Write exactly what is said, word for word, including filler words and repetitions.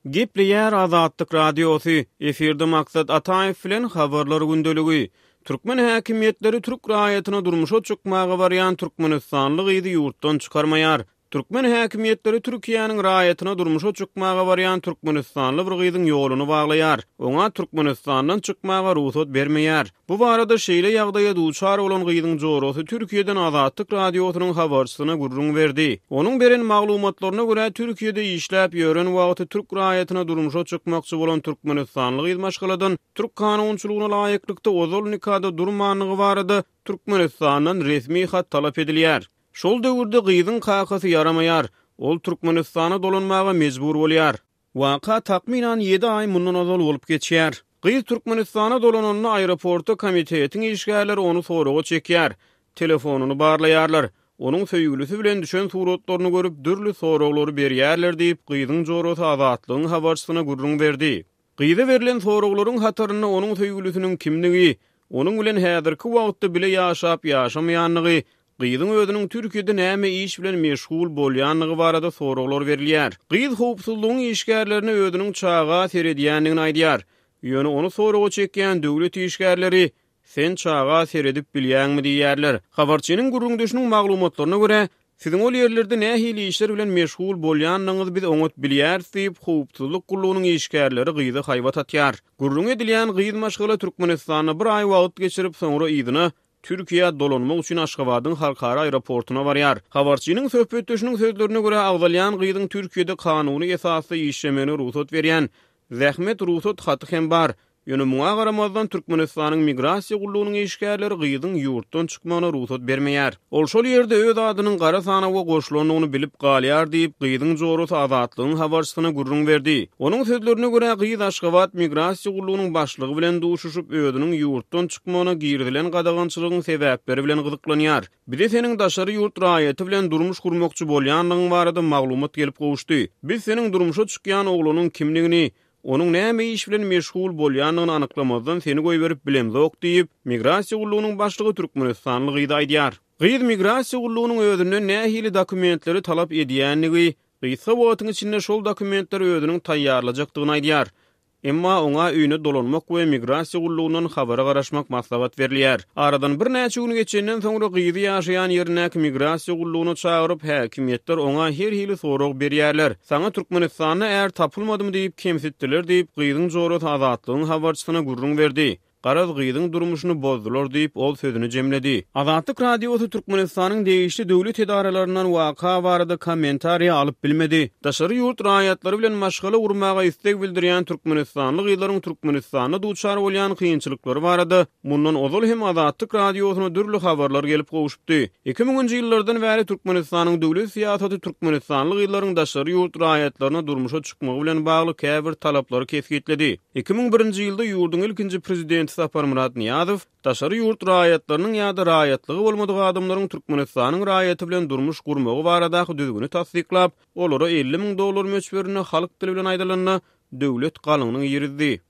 Gepleýär Azatlyk Radiosy, efirde Maksat Ataýew bilen Habarlar gündeligi. Türkmen häkimiýetleri türk raýatyna durmuşa çykmaga barýan türkmenistanly gyzy ýurtdan çykarmaýar. Türkmen häkimiýetleri Türkiýäniň raýatyna durmuşa çykmaga barýan türkmenistanly bir gyzyň ýoluny baglaýar. Oňa Türkmenistandan çykmaga rugsat bermeýär. Bu barada şeýle ýagdaýa duçar bolan gyzyň jorasy Türkiýeden Azatlyk Radiosynyň habarçysyna gürrüň berdi. Onuň beren maglumatlaryna görä, Türkiýede işläp ýören wagty türk raýatyna durmuşa çykmakçy bolan türkmenistanly gyz maşgaladan türk kanunçylygyna laýyklykda ozal nikada durmandygy barada Türkmenistandan resmi hat talap edilýär. Şol döwürde gyzyň kakasy ýaramaýar. Ol Türkmenistana dolanmaga mejbur bolýar. Waka takmynan ýedi aý mundan ozal bolup geçýär. Gyz Türkmenistana dolananda aeroportda komitetiň işgärleri ony soraga çekýär. Telefonyny barlaýarlar. Onuň söýgülisi bilen düşen suratlaryny görüp, dürli soraglary berýärler diýip, gyzyň jorasy Azatlygyň habarçysyna gürrüň berdi. Gyza berlen soraglaryň hatarynda onuň söýgülisiniň kimdigi, onuň bilen häzirki wagtda bile ýaşap-ýaşamaýandygy, gyzyň özüniň Türkiýede näme iş bilen meşgul bolýandygy barada soraglar berilýär. Gyz howpsuzlygyň işgärlerine özüniň çaga seredýändigini aýdýar. Ýöne ony soraga çekýän döwlet işgärleri sen çaga seredip bilýäňmi diýýärler. Habarçynyň gürrüňdeşiniň maglumatlaryna görä, siziň ol ýerlerde nähili işler bilen meşgul bolýandygyňyzy biz oňat bilýäris diýip, howpsuzlyk gullugynyň işgärleri gyza haýbat atýar. Gürrüň edilýän gyz maşgala Türkmenistanda bir aý wagt geçirip, soňra yzyna Türkiýä dolanmak üçin Aşgabadyň halkara aeroportuna barýar. Habarçynyň söhbetdeşiniň sözlerine görä, agzalýan gyzyň Türkiýede kanuny esasda işlemegine rugsat berýän zähmet rugsat haty hem bar. Ýöne muňa garamazdan Türkmenistanyň migrasiýa gullugynyň işgärleri gyzyň ýurtdan çykmagyna rugsat bermeýär. Ol şol ýerde öz adynyň gara sanawa goşulandygyny bilip galýar diýip, gyzyň jorasy Azatlygyň habarçysyna gürrüň berdi. Onuň sözlerine görä, gyz Aşgabat migrasiýa gullugynyň başlygy bilen duşuşyp, özüniň ýurtdan çykmagyna girizilen gadagançylygyň sebäpleri bilen gyzyklanýar. Bize seniň daşary ýurt raýaty bilen durmuş gurmakçy bolýandygyň barada maglumat gelip gowuşdy. Biz seniň durmuşa çykýan oglanyň kimligini, onuň näme iş bilen meşgul bolýandygyny anyklamazdan seni goýberip bilemzok diýip, migrasiýa gullugynyň başlygy türkmenistanly gyza aýdýar. Gyz migrasiýa gullugynyň özünden nähili dokumentleri talap edýändigi, gysga wagtyň içinde şol dokumentleri özüniň taýýarlajakdygyny aýdýar. Emma oňa öýüne dolanmak we migrasiýa gullugyndan habara garaşmak maslahat berilýär. Aradan birnäçe gün geçenden soňra gyzy ýaşaýan ýerindäki migrasiýa gullugyna çagyryp, häkimiýetler oňa her hili sorag berýärler. Saňa Türkmenistanda är tapylmadymy diýip kemsitdiler diýip, gyzyň jorasy Azatlygyň habarçysyna gürrüň berdi. Garaz gyzyň durmuşyny bozdular diýip, ol sözüni jemledi. Azatlyk Radiosy Türkmenistanyň degişli döwlet edaralaryndan waka barada kommentariýa alyp bilmedi. Daşary ýurt raýatlary bilen maşgala gurmaga isleg bildirýän türkmenistanly gyzlaryň Türkmenistanda duçar bolýan kynçylyklary barada mundan ozal hem Azatlyk Radiosyna dürli habarlar gelip gowuşypdy. iki müňünji ýyllardan bäri Türkmenistanyň döwlet syýasaty türkmenistanly gyzlaryň daşary ýurt raýatlaryna durmuşa çykmagy bilen bagly käbir talaplary kesgitledi. iki müň birinji ýylda ýurduň ilkinji prezidenti Saparmyrat Nyýazow daşary ýurt raýatlarynyň ýa-da raýatlygy bolmadyk adamlaryň Türkmenistanyň raýaty bilen durmuş gurmagy baradaky düzgüni tassyklap, olara elli müň dollar möçberinde halk dili bilen aýdylanda döwlet galyňyny girizdi.